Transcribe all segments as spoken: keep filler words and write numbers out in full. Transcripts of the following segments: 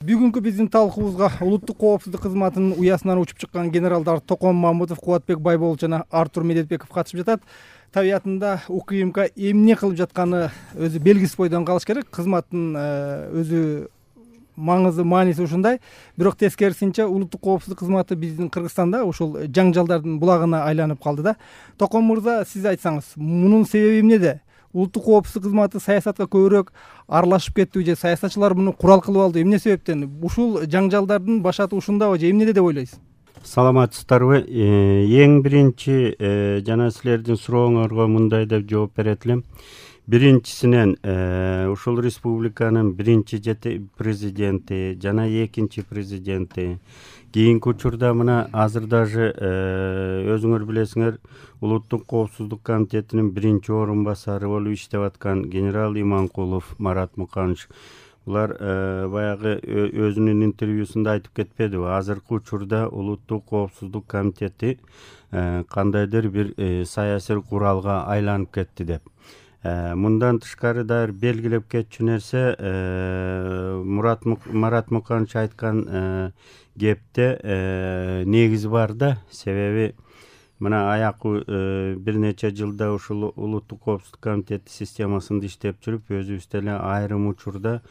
Бүгүнкү биздин талкуубузга улуттук коопсуздук кызматынын уясынан учуп чыккан генералдар Токон Мамутов, Кубатбек Байболов жана Артур Медетбеков катышып жатат. Табиятында УКМК эмне кылып жатканы өзү белгисиз бойдон калыш керек. Кызматтын өзү маңызы, мааниси ушундай. Бирок тескерисинче улуттук коопсуздук кызматы биздин Кыргызстанда ушул жаңжалдардын булагына айланып калды да. Токон мырза, сиз айтсаңыз, мунун себеби эмнеде? Улуттук коопсуздук кызматы саясатка көбүрөөк аралашып кеттиби же саясатчылар муну курал кылып алды? Эмне себептен? Ушул жаңжалдардын башаты ушундабы же эмнеде деп ойлойсуз? Саламатсыздарбы? Эң биринчи жана силердин сурооңорго мындай деп жооп берет элем. Биринчисинен ушул республиканын биринчи президенти жана экинчи президенти, кийинки учурда мына азыр дажы өзүңөр билесиңер, улуттук коопсуздук комитетинин биринчи орун басары болуп иштеп аткан генерал Иманкулов Марат Муканович, булар баягы өзүнүн интервьюсунда айтып кетпедиби? Азыркы учурда улуттук коопсуздук комитети кандайдыр бир саясий куралга айланып кетти деп. Мындан тышкары дагы белгилеп кетчү нерсе, Марат Муканович айткан кепте негизи бар да. Себеби мына аякы бир нече жылда ушул улуттук коопсуздук комитети системасында иштеп жүрүп, өзүбүз деле айрым учурда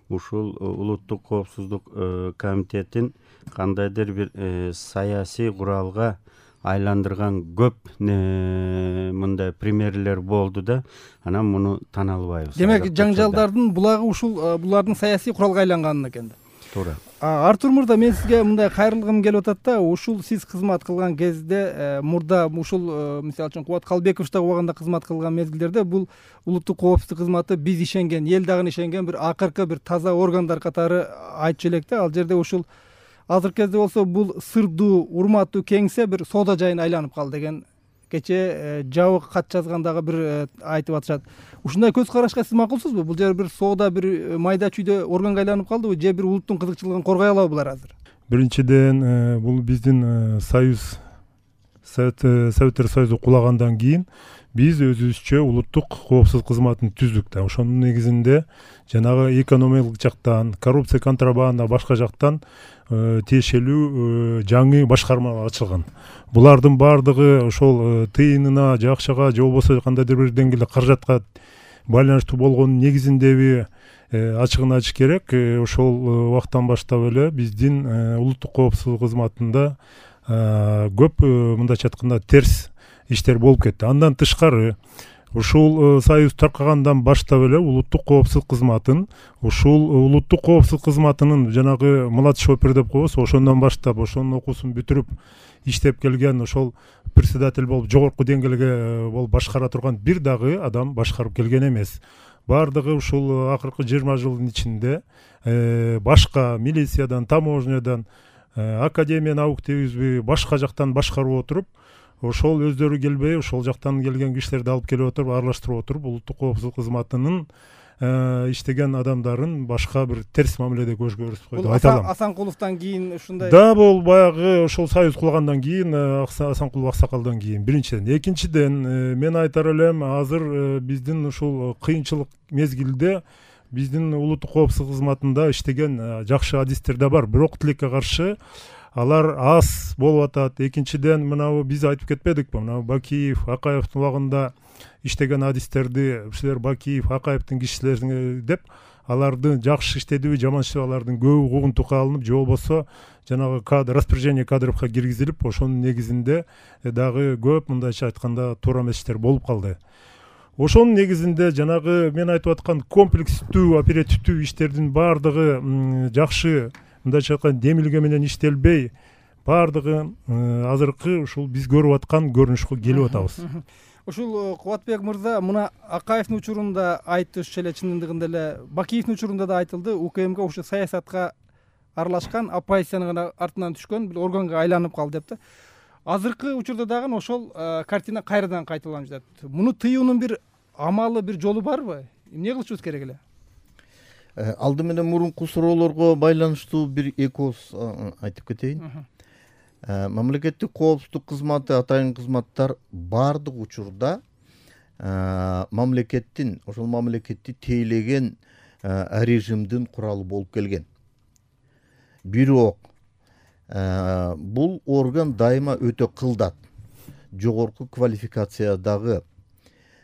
ушул улуттук коопсуздук комитетин кандайдыр бир саясий куралга айландырган көп мындай примерлер болду да, анан муну тана албайбыз. Демек, жаңжалдардын булагы ушул булардын саясий куралга айланган экен да. Туура. Артур мырза, мен сизге мындай кайрылгым келип атат да, ушул сиз кызмат кылган кезде, мурда ушул мисалы үчүн Кубат Калбековичте убагында кызмат кылган мезгилдерде бул улуттук коопсуздук кызматы биз ишенген, эл дагы ишенген бир акыркы бир таза органдар катары айтчу элек да. Ал жерде ушул азыркы кезде болсо бул сырдуу, урматтуу кеңсе бир соода жайына айланып калды деген кече жабык кат жазгандагы бир айтып атышат. Ушундай көз карашка сиз макулсузбу? Бул жер бир соода, бир майда чүйдө органга айланып калдыбы же бир улуттун кызыкчылыгын коргой алабы булар азыр? Биринчиден, бул биздин союз Советтер Союзу кулагандан кийин биз өзүбүзчө улуттук коопсуздук кызматын түздүк да. Ошонун негизинде жанагы экономикалык жактан, коррупция, контрабанда, башка жактан тиешелүү жаңы башкарма ачылган. Булардын баардыгы ошол тыйынына, же акчага, же болбосо кандайдыр бир деңгээлде каражатка байланыштуу болгонун негизиндеби ачыгын айтыш керек. Ошол убакыттан баштап эле биздин улуттук коопсуздук кызматында көп мындайча айтканда терс иштер болуп кетти. Андан тышкары ушул союз таркагандан баштап эле улуттук коопсуздук кызматын, ушул улуттук коопсуздук кызматынын жанагы младший опер деп коебуз, ошондон баштап ошонун окуусун бүтүрүп иштеп келген, ошол председатель болуп жогорку деңгээлге болуп башкара турган бир дагы адам башкарып келген эмес. Бардыгы ушул акыркы жыйырма жылдын ичинде башка милициядан, таможнядан, академия наук дейбизби, башка жактан башкарып отуруп, ошол өздөрү келбей, ошол жактан келген кишилерди алып келип отуруп, аралаштырып отуруп, улуттук коопсуздук кызматынын иштеген адамдарын башка бир терс мамиледе көрсөтүп деп айта алам. Асанкуловдон кийин ушундай. Да, бул баягы ошол союз кулгандан кийин, Асанкулов аксакалдан кийин. Биринчиден, экинчиден, мен айтар элем, азыр биздин ушул кыйынчылык мезгилде биздин улуттук коопсуздук кызматында иштеген жакшы адистер да бар, бирок тилекке каршы алар аз болуп атат. Экинчиден, мынабу биз айтып кетпедикпи? Мына Бакиев, Акаевдин убагында иштеген адистерди, ушулар Бакиев, Акаевдин кишилери деп, алардын жакшы иштедиби, жаман иштеди, алардын көбү куугунтукка алынып, же болбосо жанагы кадр, распоряжение кадровка киргизилип, ошонун негизинде дагы көп мындайча айтканда туура эмес иштер болуп калды. Ошонун негизинде жанагы мен айтып аткан комплекстүү, оперативдүү иштердин баардыгы жакшы мындайча айтканда демилге менен иштелбей, баардыгы азыркы ушул биз көрүп аткан көрүнүшкө келип атабыз. Ушул Кубатбек мырза, мына Акаевдин учурунда айтышчу эле, чындыгында эле Бакиевдин учурунда да айтылды, УКМК ушу саясатка аралашкан, оппозициянын гана артынан түшкөн бир органга айланып калды деп да. Азыркы учурда дагы ошол картина кайрадан кайталанып жатат. Муну тыюунун бир амалы, бир жолу барбы? Эмне кылышыбыз керек эле? Алды менен мурунку суроолорго байланыштуу бир эки ооз айтып кетейин. Мамлекеттик коопсуздук кызматы, атайын кызматтар баардык учурда мамлекеттин, ошол мамлекетти тейлеген режимдин куралы болуп келген. бирок бул орган дайыма өтө кылдат, жогорку квалификациядагы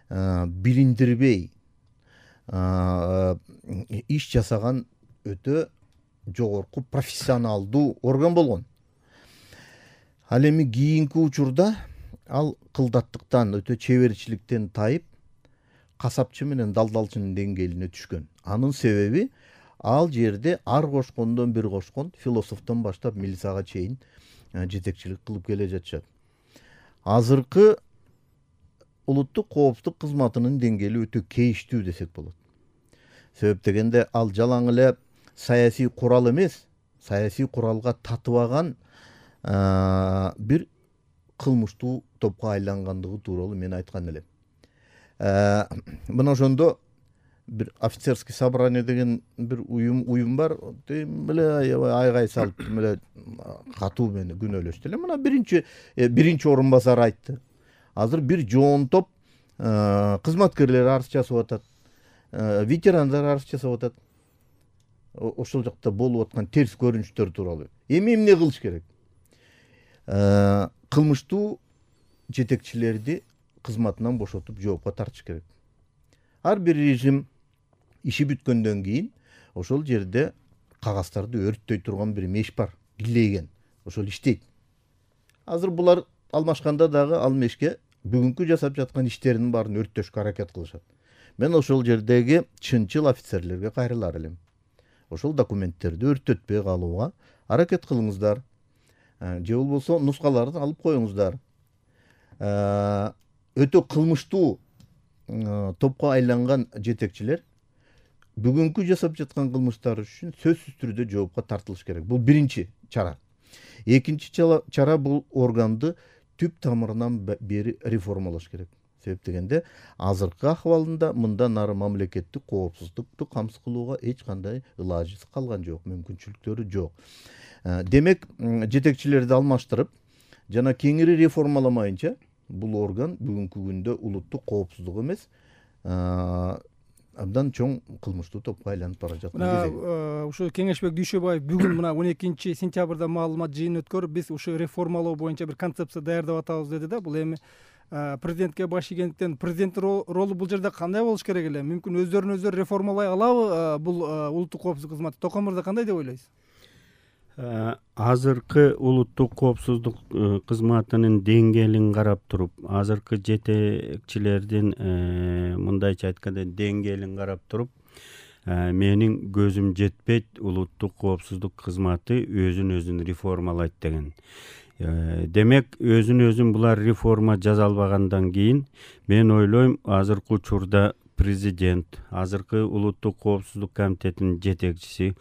билиндирбей иш жасаган өтө жогорку профессионалдуу орган болгон. Ал эми кийинки учурда ал кылдаттыктан, өтө чеберчиликтен тайып, касапчы менен далдалчынын деңгээлине түшкөн. Анын себеби ал жерде ар кошкондон бир кошкон, философтон баштап милицияга чейин жетекчилик кылып келе жатышат. Азыркы улуттук коопсуздук кызматынын деңгээли өтө кейиштүү десек болот. Себеп дегенде ал жалаң эле саясий курал эмес, саясий куралга татыбаган бир кылмыштуу топко айлангандыгы тууралуу мен айткан элем. Мына ошондо бир офицерский собрание деген бир уюм уюм бар. Меле айгай салып, меле катуу менен күнөөлөштү эле. Мына биринчи биринчи орун басар айтты. Азыр бир жоон топ кызматкерлер арыз жасап атат, ветерандар арыз жасап атат. Ошол жакта болуп аткан терс көрүнүштөр тууралуу. Эми эмне кылыш керек? Кылмыштуу жетекчилерди кызматынан бошотуп жоопко тартыш керек. Ар бир режим иши бүткөндөн кийин ошол жерде кагаздарды өрттөй турган бир меш бар, килейген. Ошол иштейт. Азыр булар алмашканда дагы ал мешке бүгүнкү жасап жаткан иштеринин баарын өрттөшкө аракет кылышат. Мен ошол жердеги чынчыл офицерлерге кайрылар элем. Ошол документтерди өрттөтпөй калууга аракет кылыңыздар. Же болбосо нускаларды алып коюңуздар. Өтө кылмыштуу топко айланган жетекчилер бүгүнкү жасап жаткан кылмыштары үчүн сөзсүз түрдө жоопко тартылыш керек. Бул биринчи чара. Экинчи чара бул органды түп тамырынан бери реформалаш керек. Себеп дегенде азыркы акыбалында мындан ары мамлекеттик коопсуздукту камсыз кылууга эч кандай ылажы калган жок, мүмкүнчүлүктөрү жок. Демек, жетекчилерди алмаштырып, жана кеңири реформаламайынча бул орган бүгүнкү күндө улуттук коопсуздук эмес, абдан чоң кылмыштуу топко айланып бара жаткан кезде. Ушу Кеңешбек Дүйшөбаев бүгүн мына он экинчи сентябрда маалымат жыйын өткөрүп, биз ушу реформалоо боюнча бир концепция даярдап атабыз деди да. Бул эми президентке баш ийгендиктен президенттин ролу бул жерде кандай болуш керек эле? Мүмкүн өздөрүн өздөрү реформалай алабы бул улуттук коопсуздук кызматы? Токон мырза кандай деп ойлойсуз? Азыркы улуттук коопсуздук кызматынын деңгээлин карап туруп, азыркы жетекчилердин мындайча айтканда деңгээлин карап туруп, менин көзүм жетпейт улуттук коопсуздук кызматы өзүн өзүн реформалайт деген. Демек, өзүн өзүн булар реформа жаза албагандан кийин мен ойлойм, азыркы учурда президент, азыркы улуттук коопсуздук комитетинин жетекчиси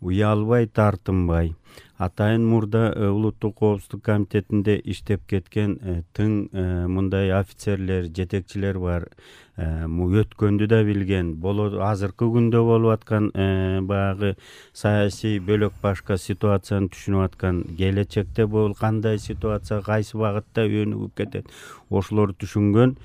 уялбай, тартынбай, атайын мурда улуттук коопсуздук комитетинде иштеп кеткен тың мындай офицерлер, жетекчилер бар. Өткөндү да билген, азыркы күндө болуп аткан баягы саясий бөлөк башка ситуацияны түшүнүп аткан, келечекте бул кандай ситуация, кайсы багытта өнүгүп кетет, ошолорду түшүнгөн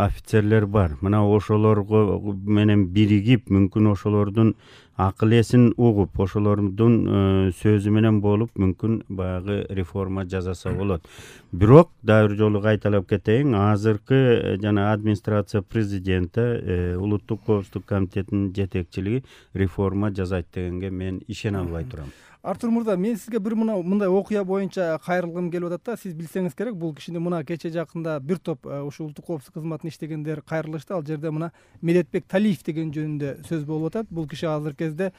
офицерлер бар. Мына ошолорго менен биригип, мүмкүн ошолордун акыл эсин угуп, ошолордун сөзү менен болуп, мүмкүн баягы реформа жасаса болот. Бирок дагы бир жолу кайталап кетейин, азыркы жана администрация президенти улуттук коопсуздук комитетинин жетекчилиги реформа жасайт дегенге мен ишене албай турам. Артур мырза, мен сизге бир мына мындай окуя боюнча кайрылгым келип атат да. Сиз билсеңиз керек, бул кишини мына кече жакында бир топ ушу улуттук коопсуздук кызматында иштегендер кайрылышты. Ал жерде мына Медетбек Талиев деген жөнүндө сөз болуп атат. Бул киши азыркы кезде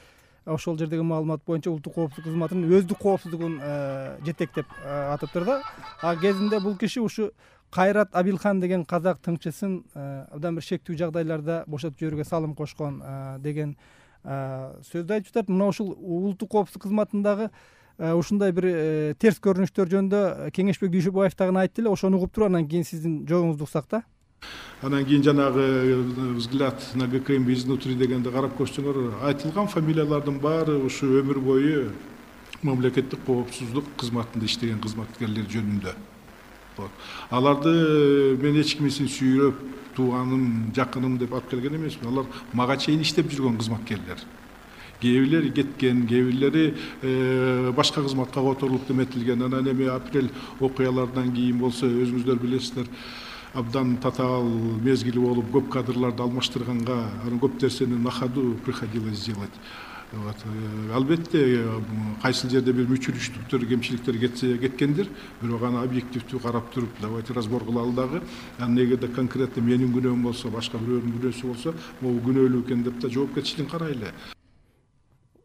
ошол жердеги маалымат боюнча улуттук коопсуздук кызматынын өздүк коопсуздугун жетектеп атыптыр да. А кезинде бул киши ушу Кайрат Абилхан деген казак тыңчысын абдан бир шектүү жагдайларда бошотуп жиберүүгө салым кошкон деген сөздү айтып жатат. Мына ушул улуттук коопсуздук кызматындагы ушундай бир терс көрүнүштөр жөнүндө Кеңешбек Дүйшөбаев дагы айтты эле. Ошону угуп туруп, анан кийин сиздин жоогуңузду уксак да. Анан кийин жанагы взгляд на ГКМ изнутри дегенди карап көрсөңөр, айтылган фамилиялардын баары ушу өмүр бою мамлекеттик коопсуздук кызматында иштеген кызматкерлер жөнүндө. Аларды мен эч кимисин сүйрөп, тууганым, жакыным деп алып келген эмесмин. Алар мага чейин иштеп жүргөн кызматкерлер. кээ бирлери кеткен, кээ бирлери башка кызматка которулуп деметилген. Анан эми апрель окуялардан кийин болсо өзүңүздөр билесиздер, абдан татаал мезгили болуп көп кадрларды алмаштырганга анан көп нерсени на ходу приходилось сделать. Вот. Албетте кайсыл жерде бир мүчүлүштүктөр, кемчиликтер кетсе кеткендир, бирок аны объективдүү карап туруп давайте разбор кылалы дагы. Анан эгерде конкретно менин күнөөм болсо, башка бирөөнүн күнөөсү болсо, могу күнөөлүү экен деп да жоопкерчилигин карайлы.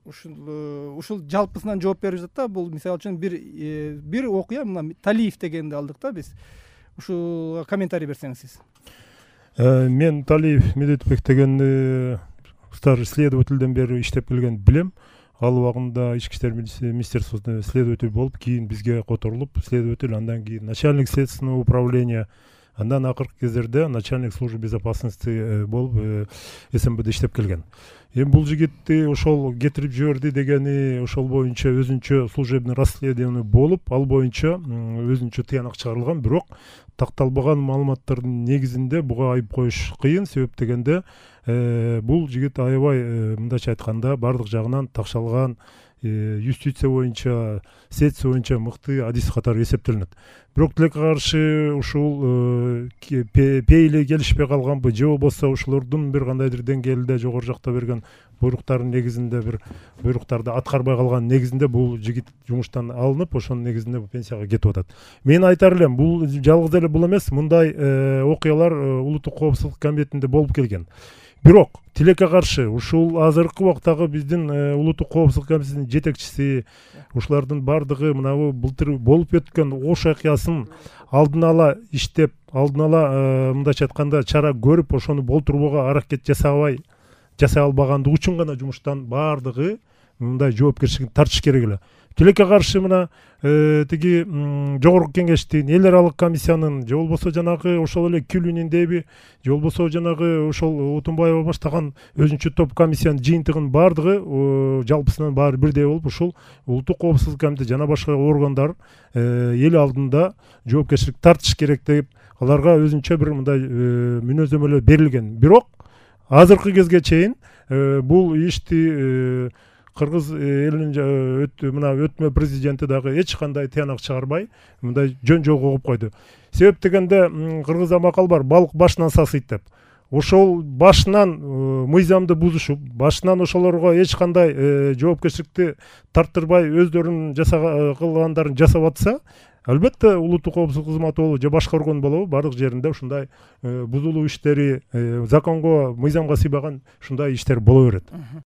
Ушул ушул жалпысынан жооп берип жатат да. Бул мисалы үчүн бир бир окуя, мына Талиев дегенди алдык да биз. Ушуга комментарий берсеңиз сиз. Мен Талиев Медетбек дегенди старший следовательден бери иштеп келген билем. Ал убагында ички иштер министерствосунда следователь болуп, кийин бизге которулуп, следователь, андан кийин начальник следственного управления, андан акыркы кездерде начальник службы безопасности болуп эс эм бде иштеп келген. Эми бул жигитти ошол кетирип жиберди дегени ошол боюнча өзүнчө служебный расследование болуп, ал боюнча өзүнчө тыянак чыгарылган, бирок такталбаган маалыматтардын негизинде буга айып коюш кыйын. Себеп дегенде бул жигит аябай, мындайча айтканда, бардык жагынан такшалган, юстиция боюнча, следствие боюнча мыкты адис катары эсептелинет. Бирок тилекке каршы ушул пейили келишпей калганбы, же болбосо ушулордун бир кандайдыр деңгээлде жогору жакта берген буйруктардын негизинде бир буйруктарды аткарбай калган негизинде бул жигит жумуштан алынып, ошонун негизинде пенсияга кетип атат. Мен айтар элем, бул жалгыз эле бул эмес, мындай окуялар улуттук коопсуздук комитетинде болуп келген. Бирок тилекке каршы ушул азыркы убактагы биздин улуттук коопсуздук комитетинин жетекчиси, ушулардын бардыгы мына былтыр болуп өткөн ош окуясын алдын ала иштеп, алдын ала мындайча айтканда чара көрүп, ошону болтурууга аракет жасабай жасай албагандыгы үчүн гана жумуштан бардыгы мындай жоопкерчилигин тартыш керек эле. Тилекке каршы мына тиги жогорку кеңештин, эл аралык комиссиянын, же болбосо жанагы ошол эле Күлүниндеби, же болбосо жанагы ошол Утунбаева баштаган өзүнчө топ комиссиянын жыйынтыгынын бардыгы жалпысынан баары бирдей болуп, ушул улуттук коопсуздук комитети жана башка органдар эл алдында жоопкерчилик тартыш керек деп, аларга өзүнчө бир мындай мүнөздөмөлөр берилген. Бирок азыркы кезге чейин бул ишти кыргыз элинин мына өтмө президенти дагы эч кандай тыянак чыгарбай мындай жөн жол коюп койду. Себеп дегенде кыргызда макал бар, балык башынан сасыйт деп. Ошол башынан мыйзамды бузушуп, башынан ошолорго эч кандай жоопкерчиликти тарттырбай өздөрүнүн жасаган кылгандарын жасап атса, албетте улуттук коопсуздук кызматы болобу же башка орган болобу, бардык жеринде ушундай бузулуу иштери, законго, мыйзамга сыйбаган ушундай иштер боло берет.